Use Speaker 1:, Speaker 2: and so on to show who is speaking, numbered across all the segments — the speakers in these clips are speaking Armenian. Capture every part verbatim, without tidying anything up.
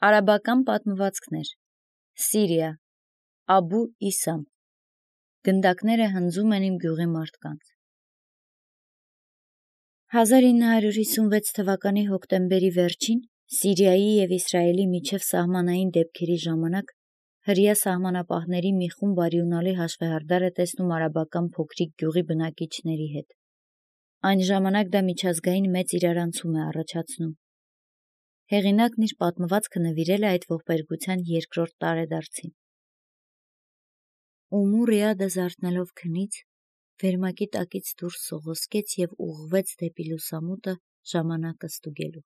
Speaker 1: Արաբական պատմվածքներ Սիրիա Աբու Իսամ Գնդակները հնձում են իմ գյուղի մարդկանց հազար ինը հարյուր հիսունվեց թվականի հոկտեմբերի վերջին Սիրիայի և Իսրայելի միջև սահմանային դեպքերի ժամանակ հրեա սահմանապահների մի խումբ արյունալի հաշվեհարդար է տեսնում արաբական փոքրիկ գյուղի բնակիչների հետ։ Այն ժամանակ դա միջազգային մեծ իրարանցում է առաջացնում։ Հեղինակն իր պատմվածքը նվիրել է այդ ողբերգության երկրորդ տարեդարձին։ Ումու Ռիադը զարթնելով քնից, վերմակի տակից դուրս սողոսկեց և ուղղվեց դեպի լուսամուտը ժամանակը ստուգելու։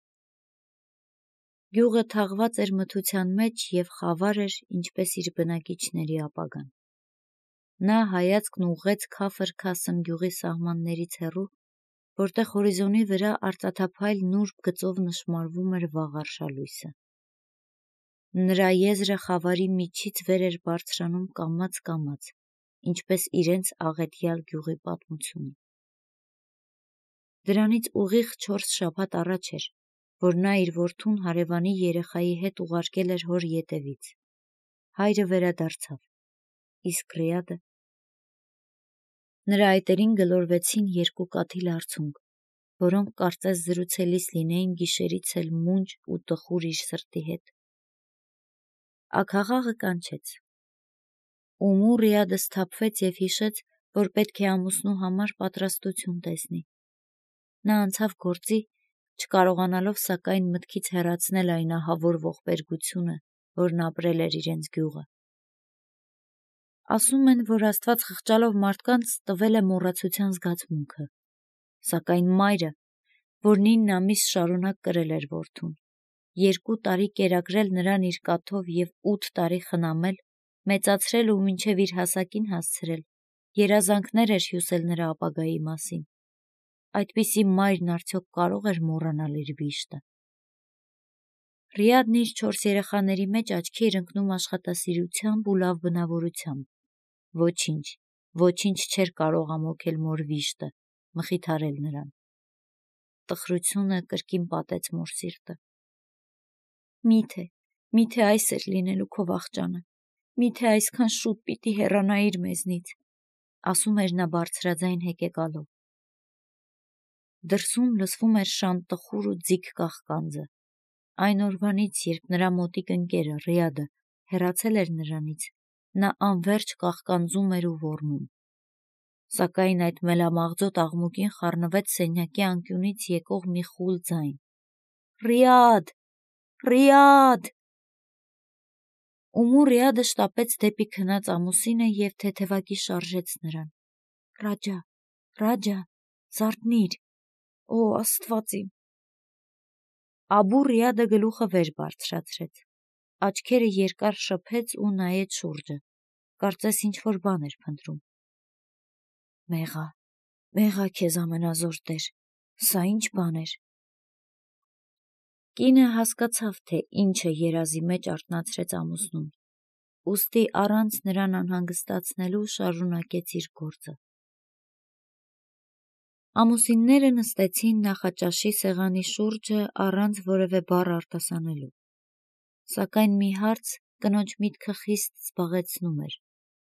Speaker 1: Գյուղը թաղված էր մթության մեջ և խավար էր, ինչպես իր բնակիչների ապագան։ Նա հայացքն ուղղեց քաֆր-քասմ գյուղի սահմաններից հեռու, որտեղ հորիզոնի վրա արծաթափայլ նուրբ գծով նշմարվում էր վաղ արշալույսը։ Նրա եզրը խավարի միջից վեր էր բարձրանում կամաց-կամաց, ինչպես իրենց աղետյալ գյուղի պատմությունը։ Դրանից ուղիղ չորս շաբաթ առաջ էր, որ նա իր որդուն հարևանի երեխայի հետ ուղարկել էր հոր ետևից։ Հայրը վերադարձավ, իսկ Ռիադը… Նրա այտերին գլորվեցին երկու կաթիլ արցունք, որոնք կարծես զրուցելիս լինեին գիշերից էլ մունջ ու տխուր իր սրտի հետ։ Աքաղաղը կանչեց։ Ումու Ռիադը սթափվեց և հիշեց, որ պետք է ամուսնու համար պատրաստություն տեսնի։ Նա անցավ գործի, չկարողանալով սակայն մտքից հեռացնել այն ահավոր ողբերգությունը, որն ապրել էր իրենց գյուղը։ Ասում են, որ Աստված խղճալով մարդկանց տվել է մոռացության զգացմունքը, սակայն մայրը, որ ինն ամիս շարունակ կրել էր որդուն, երկու տարի կերակրել նրան իր կաթով և ութ տարի խնամել, մեծացրել ու մինչև իր հասակին հասցրել, երազանքներ էր հյուսել նրա ապագայի մասին, այդպիսի մայրն արդյոք կարող էր մոռանալ իր վիշտը։ Ռիադն իր չորս երեխաների մեջ աչքի էր ընկնում աշխատասիրությամբ ու լավ բնավորությամբ։ Ոչինչ, ոչինչ չէր կարող ամոթել մոր վիշտը, մխիթարել նրան։ Տխրությունը կրկին պատեց մոր սիրտը։ Միթե, միթե այս էր լինելու քո վախճանը, միթե այսքան շուտ պիտի հեռանայիր մեզնից, ասում էր նա բարձրաձայն հեկեկալով։ Դրսում լսվում էր շան տխուր ու ձիգ կաղկանձը։ Այն օրվանից, երբ նրա մոտիկ ընկերը Ռիադը հեռացել էր նրանից, նա անվերջ կաղկանձում էր ու ոռնում։ Սակայն այդ մելամաղձոտ աղմուկին խառնվեց սենյակի անկյունից եկող մի խուլ ձայն. Ռիադ, Ռիադ… Ումու Ռիադը շտապեց դեպի քնած ամուսինը և թեթևակի շարժեց նրան. Ռաջա, Ռաջա, զարթնի՛ր, օ Աստված իմ… Աբու Ռիադը գլուխը վեր բարձրացրեց, աչքերը երկար շփեց ու նայեց շուրջը, կարծես ինչ-որ բան էր փնտրում։ Մեղա, մեղա քեզ ամենազոր Տեր, սա ի՞նչ բան էր… Կինը հասկացավ, թե ինչը երազի մեջ արթնացրեց ամուսնուն, ուստի առանց նրան անհանգստացնելու շարունակեց իր գործը։ Ամուսինները նստեցին նախաճաշի սեղանի շուրջը առանց որևէ բառ արտասանելու։ Սակայն մի հարց կնոջ միտքը խիստ զբաղեցնում էր,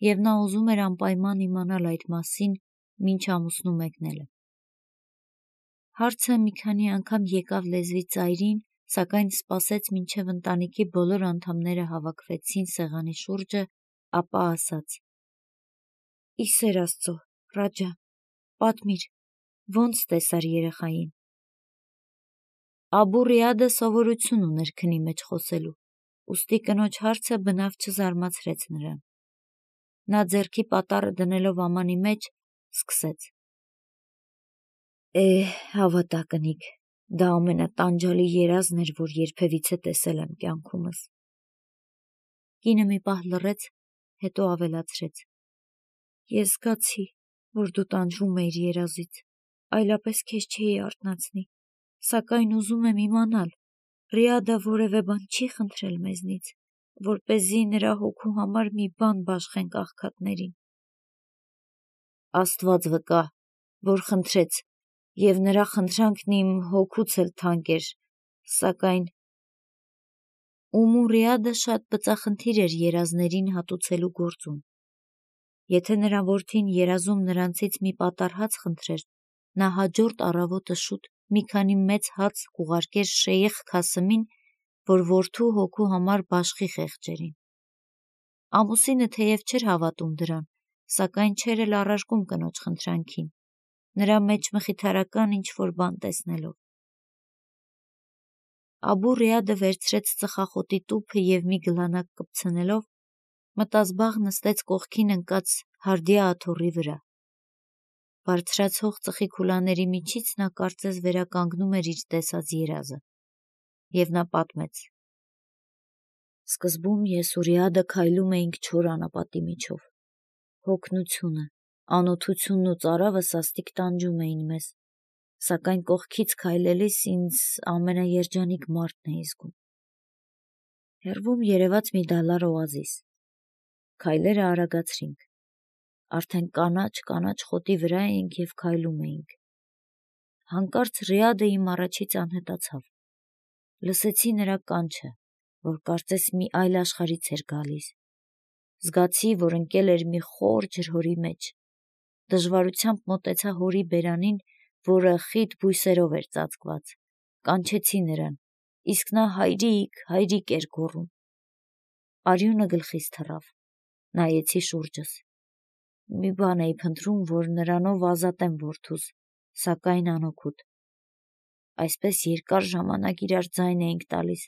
Speaker 1: և նա ուզում էր անպայման իմանալ այդ մասին, մինչ ամուսնու մեկնելը։ Հարցը մի քանի անգամ եկավ լեզվի ծայրին, սակայն սպասեց, մինչև ընտանիքի բոլոր անդամները հավաքվեցին սեղանի շուրջը, ապա ասաց. Ի սեր Աստծո, Ռաջա, պատմիր, ո՞նց տեսար երեխային… Աբու Ռիադը սովորություն ուներ քնի մեջ խոսելու, ուստի կնոջ հարցը բնավ չզարմացրեց նրան։ Նա ձեռքի պատառը դնելով ամանի մեջ, սկսեց. Է՜հ, հավատա կնիկ, դա ամենատանջալի երազն էր, որ երբևիցե տեսել եմ կյանքումս… Կինը մի պահ լռեց, հետո ավելացրեց. Ես զգացի, որ դու տանջվում էիր երազից, այլապես քեզ չէի արթնացնի, սակայն ուզում եմ իմանալ, Ռիադը որևէ բան չի խնդրել մեզնից, որպեսզի նրա հոգու համար մի բան բաշխենք աղքատներին… Աստված վկա, որ խնդրեց, և նրա խնդրանքն իմ հոգուց էլ թանկ էր, սակայն… Ումուրիադը շատ բծախնդիր էր երազներին հատուցելու գործում։ Եթե նրա որդին երազում նրանցից մի պատառ հաց խնդրեր, նա հաջորդ առավոտը շուտ մի քանի մեծ հաց կուղարկեր Շեյխ Քասիմին, որ որդու հոգու համար բաշխի խեղճերին։ Ամուսինը թեև չէր հավատում դրան, սակայն չէր էլ առարկում կնոջ խնդրանքին, նրա մեջ մխիթարական ինչ-որ բան տեսնելով։ Աբու Ռիադը վերցրեց ծխախոտի տուփը և մի գլանակ կպցնելով, մտազբաղ նստեց կողքին ընկած հարդիա աթոռի վրա։ Բարձրացող ծխի քուլաների միջից նա կարծես վերականգնում էր իր տեսած երազը, և նա պատմեց. Սկզբում ես ու Ռիադը քայլում էինք չոր անապատի միջով։ Հոգնությունը, անօթությունն ու ծարավը սաստիկ տանջում էին մեզ, սակայն կողքից քայլելիս ինձ ամենաերջանիկ մարդն էի զգում։ Հեռվում երևաց մի դալար օազիս։ Քայլերը արագացրինք։ Արդեն կանաչ-կանաչ խոտի վրա էինք և քայլում էինք։ Հանկարծ Ռիադը իմ առաջից անհետացավ։ Լսեցի նրա կանչը, որ կարծես մի այլ աշխարհից էր գալիս։ Զգացի, որ ընկել էր մի խոր ջրհորի մեջ։ Դժվարությամբ մոտեցա հորի բերանին, որը խիտ բույսերով էր ծածկված։ Կանչեցի նրան, իսկ նա հայրիկ, հայրիկ էր գոռում։ Արյունը գլխիս թռավ։ Նայեցի շուրջս։ Մի բան էի փնտրում, որ նրանով ազատեմ որդուս, սակայն անօգուտ։ Այսպես երկար ժամանակ իրար ձայն էինք տալիս։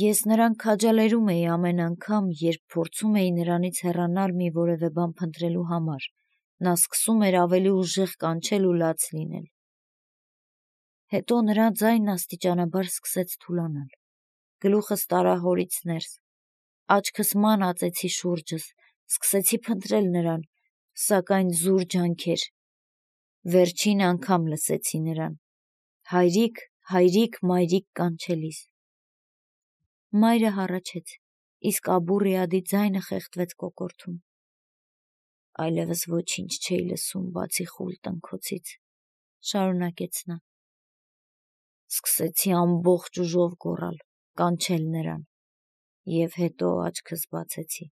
Speaker 1: Ես նրան քաջալերում էի ամեն անգամ, երբ փորձում էի նրանից հեռանալ մի որևէ բան փնտրելու համար, նա սկսում էր ավելի ուժեղ կանչել ու լաց լինել։ Հետո նրա ձայնն աստիճանաբար սկսեց թուլանալ։ Գլուխս տարա հորից ներս, աչքս ման ածեցի շուրջս, սկսեցի փնտրել նրան, սակայն զուր ջանքեր։ Վերջին անգամ լսեցի նրան. հայրիկ, հայրիկ, մայրիկ կանչելիս։ Մայրը հառաչեց, իսկ Աբու Ռիադի ձայնը խեղդվեց կոկորդում։ Այլևս ոչինչ չէի լսում, բացի խուլ տնքոցից, շարունակեց նա։ Սկսեցի ամբողջ ուժով գոռալ, կանչել նրան, և հետո աչքս բացեցի։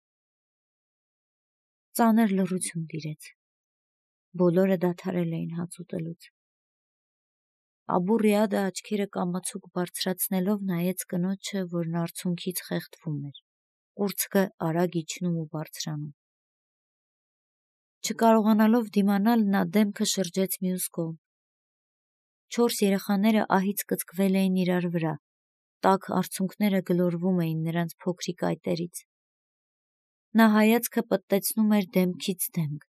Speaker 1: Ծանր լռություն տիրեց։ Բոլորը դադարել էին հաց ուտելուց։ Աբու Ռիադը աչքերը կամացուկ բարձրացնելով նայեց կնոջը, որն արցունքից խեղդվում էր, կուրծքը արագ իջնում ու բարձրանում։ Չկարողանալով դիմանալ, նա դեմքը շրջեց մյուս կողմ։ Չորս երեխաները ահից կծկվել էին իրար վրա, տաք արցունքները գլորվում էին նրանց փոքրիկ այտերից։ Նա հայացքը պտտեցնում էր դեմքից դեմք,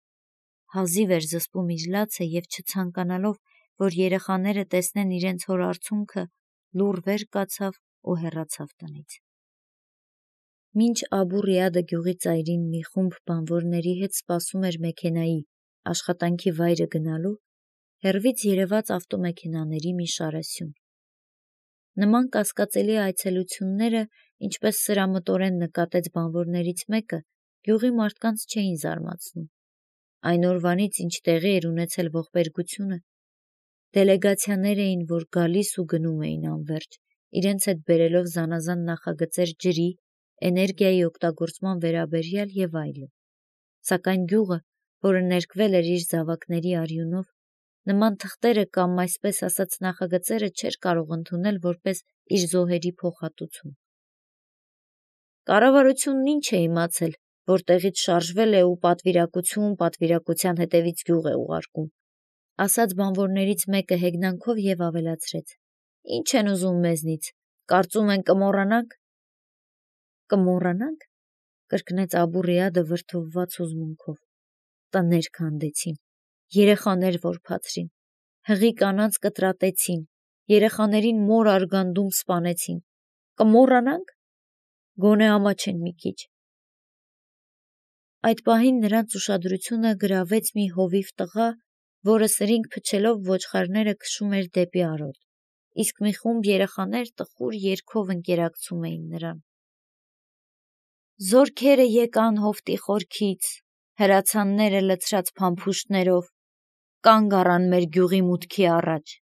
Speaker 1: հազիվ էր զսպում իր լացը և չցանկանալով, որ երեխաները տեսնեն իրենց հոր արցունքը, լուռ վեր կացավ ու հեռացավ տնից։ Մինչ Աբու Ռիադը գյուղի ծայրին մի խումբ բանվորների հետ սպասում էր մեքենայի աշխատանքի վայրը գնալու, հեռվից երևաց ավտոմեքենաների մի շարասյուն։ Նման կասկածելի այցելությունները, ինչպես սրամտորեն նկատեց բանվորներից մեկը, գյուղի մարդկանց չէին զարմացնում։ Այն օրվանից, ինչ տեղի էր ունեցել ողբերգությունը, դելեգացիաներ էին, որ գալիս ու գնում էին անվերջ, իրենց հետ բերելով զանազան նախագծեր ջրի, էներգիայի օգտագործման վերաբերյալ և այլն։ Սակայն գյուղը, որը ներկվել էր իր զավակների արյունով, նման թղթերը կամ, այսպես ասած, նախագծերը չէր կարող ընդունել որպես իր զոհերի փոխհատուցում։ Կառավարությունն ինչ է իմացել, որ տեղից շարժվել է ու պատվիրակություն պատվիրակության հետևից գյուղ է ուղարկում, ասաց բանվորներից մեկը հեգնանքով և ավելացրեց. Ինչ են ուզում մեզնից, կարծում են կմոռանանք։ Կմոռանանք, կրկնեց Աբու Ռիադը վրդովված հուզմունքով։ Տներ քանդեցին, երեխաներ որբացրին, հղի կանանց կտրատեցին, երեխաներին մոր արգանդում սպանեցին։ Կմոռանանք։ Գոնե ամաչեն մի քիչ։ Այդ պահին նրանց ուշադրությունը գրավեց մի հովիվ տղա, որը սրինգ փչելով ոչխարները քշում էր դեպի արոտ, իսկ մի խումբ երեխաներ տխուր երգով ընկերակցում էին նրան։ Զորքերը եկան հովտի խորքից, հրացանները լցրած փամփուշտներով, կանգ առան մեր գյուղի մուտքի առաջ,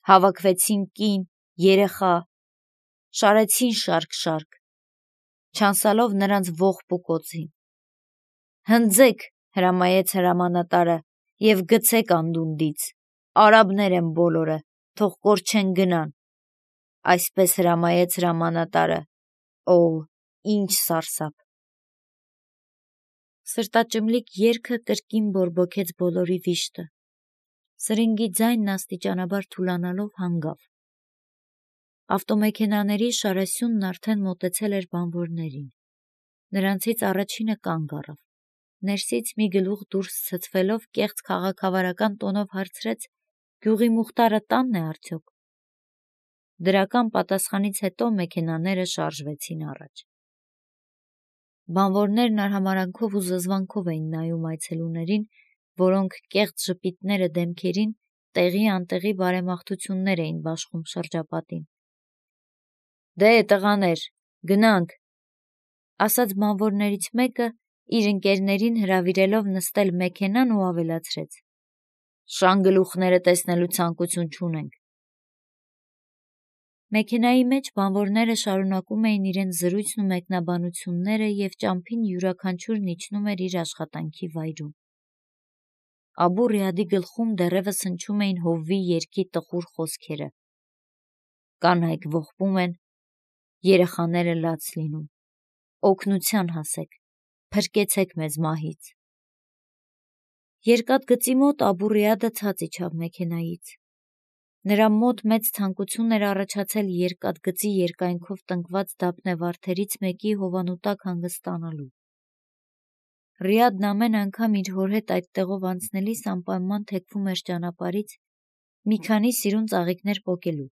Speaker 1: հավաքվեցին կին, երեխա, շարեցին շարք-շարք, չանցալով նրանց ողբ ու կոցին։ Հնձեք, հրամայեց հրամանատարը, և գցեք անդունդից, արաբներ են բոլորը, թող կորչեն գնան։ Այսպես հրամայեց հրամանատարը, օ, ինչ սարսափ։ Սրտաճմլիկ երգը կրկին բորբոքեց բոլորի վիշտը։ Սրինգի ձայնն աստիճանաբար թուլանալով հանգավ։ Ավտոմեքենաների շարասյունն արդեն մոտեցել էր բանվորներին։ Նրանցից առաջինը կանգ առավ։ Ներսից մի գլուխ դուրս ցցվելով կեղծ քաղաքավարական տոնով հարցրեց. «Գյուղի Մուխտարը տանն է արդյոք»։ Դրական պատասխանից հետո մեքենաները շարժվեցին առաջ։ Բանվորներն արհամարհանքով ու զզվանքով էին նայում այցելուներին, որոնք կեղծ ժպիտները դեմքերին տեղի անտեղի բարեմաղթություններ էին բաշխում շրջապատին։ «Դե, տղաներ, գնանք», ասաց բանվորներից մեկը, իր ընկերներին հրավիրելով նստել մեքենան ու ավելացրեց. «Շան գլուխները տեսնելու ցանկություն չունենք»։ Մեքենայի մեջ բանվորները շարունակում էին իրենց զրույցն ու մեկնաբանությունները և ճամփին յուրաքանչյուրն իջնում էր իր աշխատանքի վայրում։ Աբու Ռիադի գլխում դեռևս հնչում էին հովվի երգի տխուր խոսքերը. «Կանայք ողբում են, երեխաները լաց լինում, օգնության հասեք, փրկեցեք մեզ մահից»։ Երկաթգծի մոտ Աբու Ռիադը ցած իջավ մեքենայից։ Նրա մոտ մեծ ցանկություն էր առաջացել երկաթգծի երկայնքով տնկված դափնեվարդերից մեկի հովանու տակ հանգստանալու։ Ռիադն ամեն անգամ իր հոր հետ այդտեղով անցնելիս անպայման թեքվում էր ճանապարհից մի քանի սիրուն ծաղիկներ պոկելու,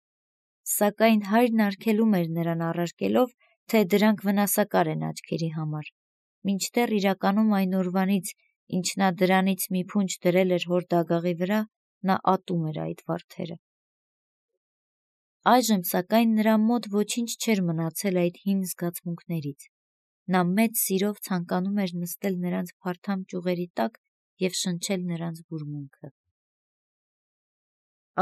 Speaker 1: սակայն հայրն արգելում էր նրան առարկելով, թե դրանք վնասակար են աչքերի համար, մինչդեռ իրականում այն օրվանից, ինչ նա դրանից մի փունջ դրել էր հոր դագաղի վրա, նա ատում էր այդ վարդերը։ Այժմ, սակայն, նրա մոտ ոչինչ չէր մնացել այդ հին զգացմունքներից։ Նա մեծ սիրով ցանկանում էր նստել նրանց փարթամ ճյուղերի տակ և շնչել նրանց բուրմունքը։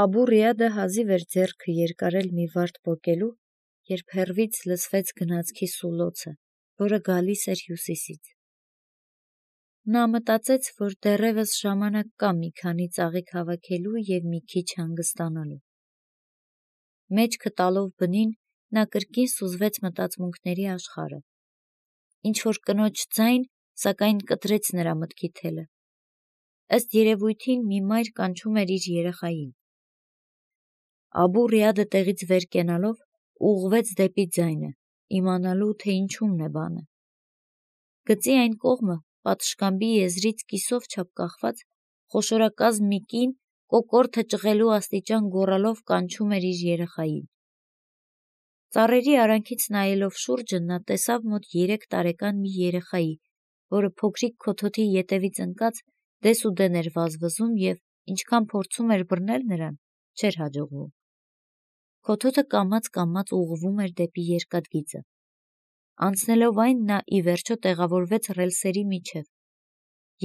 Speaker 1: Աբու Ռիադը հազիվ էր ձեռքը երկարել մի վարդ պոկելու, երբ հեռվից լսվեց գնացքի սուլոցը, որը գալիս էր հյուսիսից։ Նա մտածեց, որ դեռևս ժամանակ կա մի քանի ծաղիկ հավաքելու և մի քիչ հանգստանալու։ Մեջքը տալով բնին, նա կրկին սուզվեց մտածմունքների աշխարհը։ Ինչ-որ կնոջ ձայն, սակայն կտրեց նրա մտքի թելը։ Ըստ երևույթին մի մայր կանչում էր իր երեխային։ Աբու Ռիադը տեղից վեր կենալով ուղղվեց դեպի ձայնը, իմանալու, թե ինչումն է բանը։ Գծի այն կողմը, պատշգամբի եզրից կիսով չափ կախված, խոշորակազմ մի կին կոկորդը ճղելու աստիճան գոռալով կանչում էր իր երեխային։ Ծառերի արանքից նայելով շուրջը, նա տեսավ մոտ երեք տարեկան մի երեխայի, որը փոքրիկ քոթոթի ետևից ընկած դեսուդեն էր վազվզում և ինչքան փորձում էր բռնել նրան, չէր հաջողվում։ Քոթոթը կամաց-կամաց ուղղվում էր դեպի երկաթգիծը։ Անցնելով այն, նա ի վերջո տեղավորվեց ռելսերի միջև։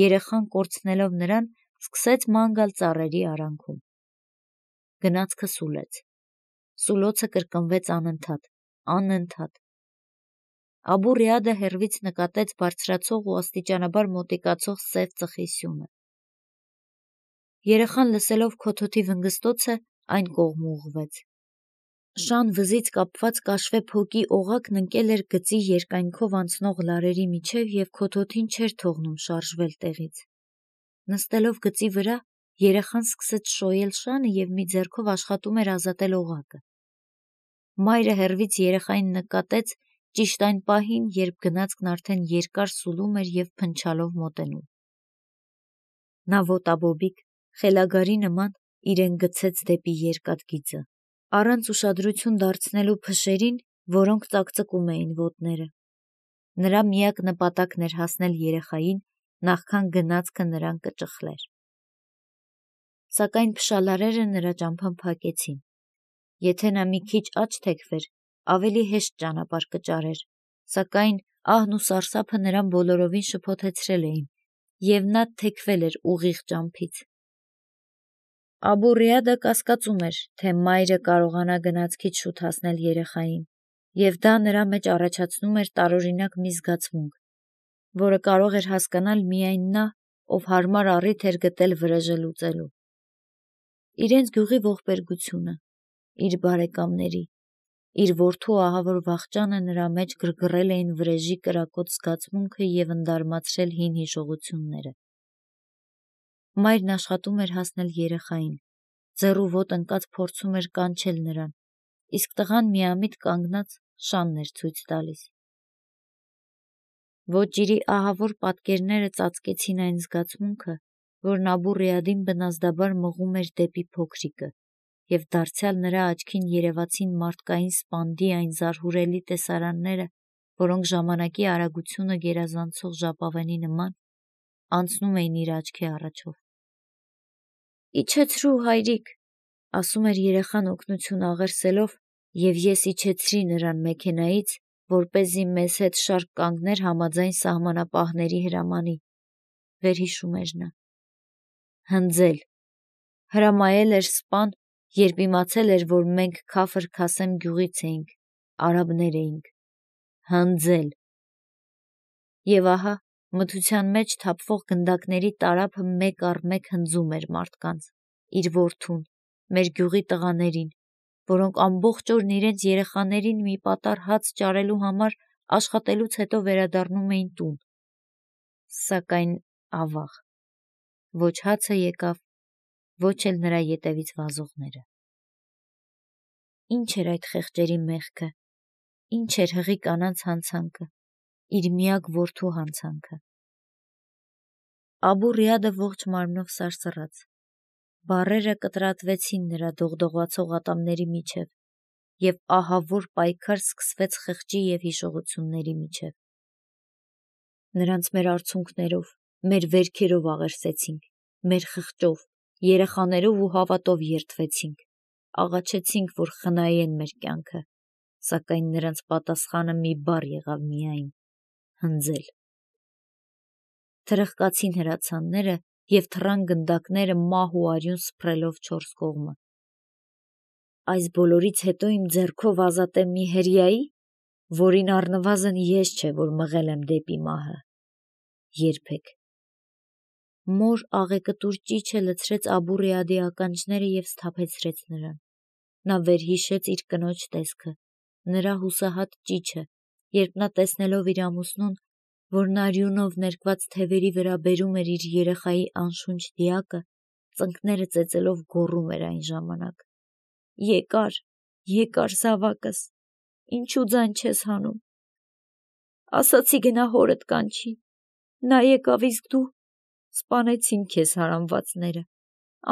Speaker 1: Երեխան կորցնելով նրան, սկսեց ման գալ ծառերի արանքում։ Գնացքը սուլեց։ Սուլոցը կրկնվեց անընդհատ, անընդհատ։ Աբու Ռիադը հեռվից նկատեց բարձրացող ու աստիճանաբար մոտիկացող սև ծխի սյունը։ Երեխան լսելով քոթոթի վնգստոցը, այն կողմ ուղղվեց։ Շան վզից կապված կաշվե փոկի օղակն ընկել էր գծի երկայնքով անցնող լարերի միջև և քոթոթին չէր թողնում շարժվել տեղից։ Նստելով գծի վրա, երեխան սկսեց շոյել շանը և մի ձեռքով աշխատում էր ազատել օղակը։ Մայրը հեռվից երեխային նկատեց ճիշտ այն պահին, երբ գնացքն արդեն երկար սուլում էր և փնչալով մոտենում։ Նա ոտաբոբիկ, խելագարի նման իրեն գցեց դեպի երկաթգիծը, առանց ուշադրություն դարձնելու փշերին, որոնք ծակծկում էին ոտները։ Նրա միակ նպատակն էր հասնել երեխային, նախքան գնացքը նրան կճխլեր։ Սակայն փշալարերը նրա ճամփան փակեցին։ Եթե նա մի քիչ աջ թեքվեր, ավելի հեշտ ճանապարհ կճարեր, սակայն ահն ու սարսափը նրան բոլորովին շփոթեցրել էին, և նա թեքվել էր ուղիղ ճամփից։ Աբու Ռիադը կասկածում էր, թե մայրը կարողանա գնացքից շուտ հասնել երեխային, և դա նրա մեջ առաջացնում էր տարօրինակ մի զգացմունք, որը կարող էր հասկանալ միայն նա, ով հարմար առիթ էր գտել վրեժը լուծելու։ Իրենց գյուղի ողբերգությունը, իր բարեկամների, իր որդու ահավոր վախճանը նրա մեջ գրգռել էին վրեժի կրակոտ զգացմունքը և ընդարմացրել հին հիշողությունները։ Մայրն աշխատում էր հասնել երեխային, ձեռու ոտը ընկած փորձում էր կանչել նրան, իսկ տղան միամիտ կանգնած շանն էր ցույց տալիս։ Ոճիրի ահավոր պատկերները ծածկեցին այն զգացմունքը, որն Աբու Ռիադին բնազդաբար մղում էր դեպի փոքրիկը, և դարձյալ նրա աչքին երևացին մարդկային սպանդի այն զարհուրելի տեսարանները, որոնք ժամանակի արագությունը գերազանցող ժապավենի նման անցնում էին իր աչքի առաջով։ «Իջեցրու, հայրիկ», ասում էր երեխան օգնություն աղերսելով, և ես իջեցրի նրան մեքենայից, որպեսզի մեզ հետ շարք կանգներ համաձայն սահմանապահների հրամանի, վերհիշում էր նա։ Հնձել։ Հրամայել էր սպան, երբ իմացել էր, որ մենք Քաֆր Քասեմ գյուղից էինք, արաբներ էինք։ Հնձել։ Եվ ահա մթության մեջ թափվող գնդակների տարափը մեկ առ մեկ հնձում էր մարդկանց, իր որդուն, մեր գյուղի տղաներին, որոնք ամբողջ օրն իրենց երեխաներին մի պատառ հաց ճարելու համար աշխատելուց հետո վերադառնում էին տուն։ Սակայն ավաղ, ոչ հացը եկավ, ոչ էլ նրա ետևից վազողները։ Ինչ էր այդ խեղճերի մեղքը, ինչ էր հղի կանանց հանցանքը, իր միակ որդու հանցանքը։ Աբու Ռիադը ողջ մարմնով սարսռաց, բառերը կտրատվեցին նրա դողդողացող ատամների միջև, և ահավոր պայքար սկսվեց խղճի և հիշողությունների միջև։ Նրանց մեր արցունքներով, մեր վերքերով աղերսեցինք, մեր խղճով, երեխաներով ու հավատով երդվեցինք, աղաչեցինք, որ խնայեն մեր կյանքը, սակայն նրանց պատասխանը մի բառ եղավ միայն՝ հնձել։ Թրխկացին հրացանները և թռան գնդակները մահ ու արյուն սփռելով չորս կողմը։ Այս բոլորից հետո իմ ձեռքով ազատեմ մի հրեայի, որին առնվազն ես չէ, որ մղել եմ դեպի մահը։ Երբեք։ Մոր աղեկտուր ճիչը լցրեց Աբու Ռիադի ականջները և սթափեցրեց նրան։ Նա վերհիշեց իր կնոջ տեսքը, նրա հուսահատ ճիչը, երբ նա տեսնելով իր ամուսնուն, որն արյունով ներկված թևերի վրա բերում էր իր երեխայի անշունչ դիակը, ծնկները ծեծելով գոռում էր այն ժամանակ. «Եկար, եկար զավակս, ինչու ձայն չես հանում։ Ասացի գնա հորդ կանչի, նա եկավ, իսկ դու… սպանեցին քեզ հարամվածները,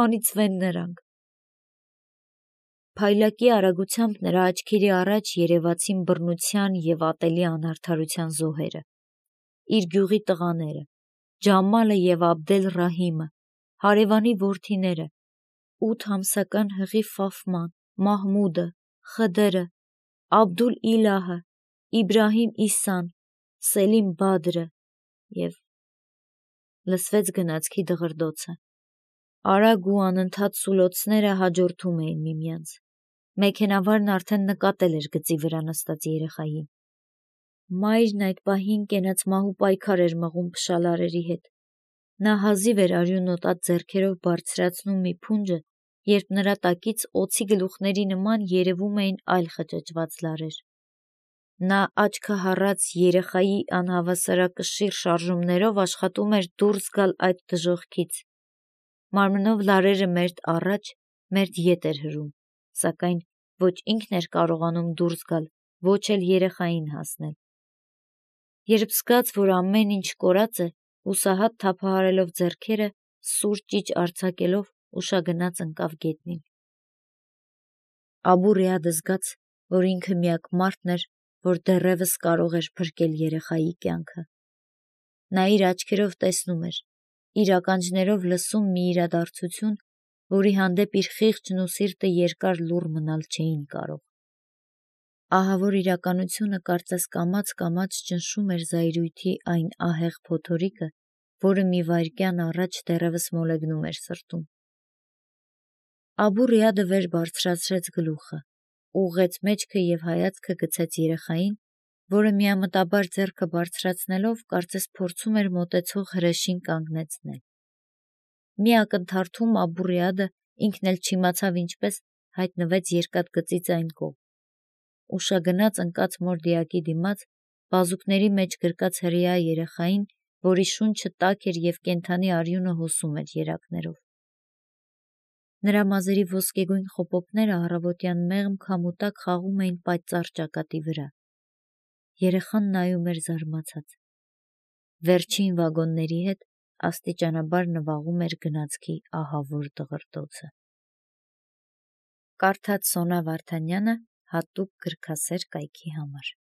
Speaker 1: անիծվեն նրանք»։ Փայլակի արագությամբ նրա աչքերի առաջ երևացին բռնության և ատելի անարդարության զոհերը։ Իր գյուղի տղաները, Ջամալը և Աբդել-Ռահիմը, հարևանի որդիները, ութ ամսական հղի Ֆաֆման, Մահմուդը, Խդրը, Աբդուլ-Իլահը, Իբրահիմ Իսան, Սելիմ Բադրը և… լսվեց գնացքի դղրդոցը։ Արագ ու անընդհատ սուլոցները հաջորդում էին միմյանց։ Մեքենավարն արդեն նկատել էր գծի վրա նստած երեխային։ Մայրն այդ պահին կենացմահու պայքար էր մղում փշալարերի հետ։ Նա հազիվ էր արյունն օտած ձեռքերով բարձրացնում մի փունջը, երբ նրա տակից օձի գլուխների նման երևում էին այլ խճճված լարեր։ Նա աչքը հառած երեխայի անհավասարակշիռ շարժումներով աշխատում էր դուրս գալ այդ դժոխքից։ Մարմնով լարերը մերթ առաջ, մերթ ետ էր հրում, սակայն ոչ ինքն էր կարողանում դուրս գալ, ոչ էլ երեխային հասնել։ Երբ զգաց, որ ամեն ինչ կորած է, հուսահատ թափահարելով ձեռքերը, սուր ճիչ արձակելով, ուշագնաց ընկավ գետնին։ Աբու Ռիադը զգաց, որ ինքը միակ մարդն էր, որ դեռևս կարող էր փրկել երեխայի կյանքը։ Նա իր աչքերով տեսնում էր, իր ականջներով լսում մի իրադարձություն, որի հանդեպ իր խիղճն ու սիրտը երկար լուռ մնալ չէին կարող։ Ահավոր իրականությունը կարծես կամաց-կամաց ճնշում էր զայրույթի այն ահեղ փոթորիկը, որը մի վայրկյան առաջ դեռևս մոլեգնում էր սրտում։ Աբու Ռիադը վեր բարձրացրեց գլուխը, ուղղեց մեջքը և հայացքը գցեց երեխային, որը միամտաբար ձեռքը բարձրացնելով կարծես փորձում էր մոտեցող հրեշին կանգնեցնել։ Մի ակնթարթում Աբուռիադը ինքն էլ չիմացավ ինչպես հայտնվեց երկաթգծից այն կողմ։ Ուշագնաց ընկած մորդիակի դիմաց բազուկների մեջ գրկած հրեա երեխային, որի շունչը տաք էր և կենդանի արյունը հոսում էր երակներով։ Նրա մազերի ոսկեգույն խոպոպները առավոտյան մեղմ քամու տակ խաղում էին պայծառ ճակատի վրա։ Երեխան նայում էր զարմացած։ Վերջին վագոնների հետ աստիճանաբար նվաղում էր գնացքի ահավոր դղրդոցը։ Կարդաց Սոնա Վարդանյանը հատուկ գրքասեր կայքի համար։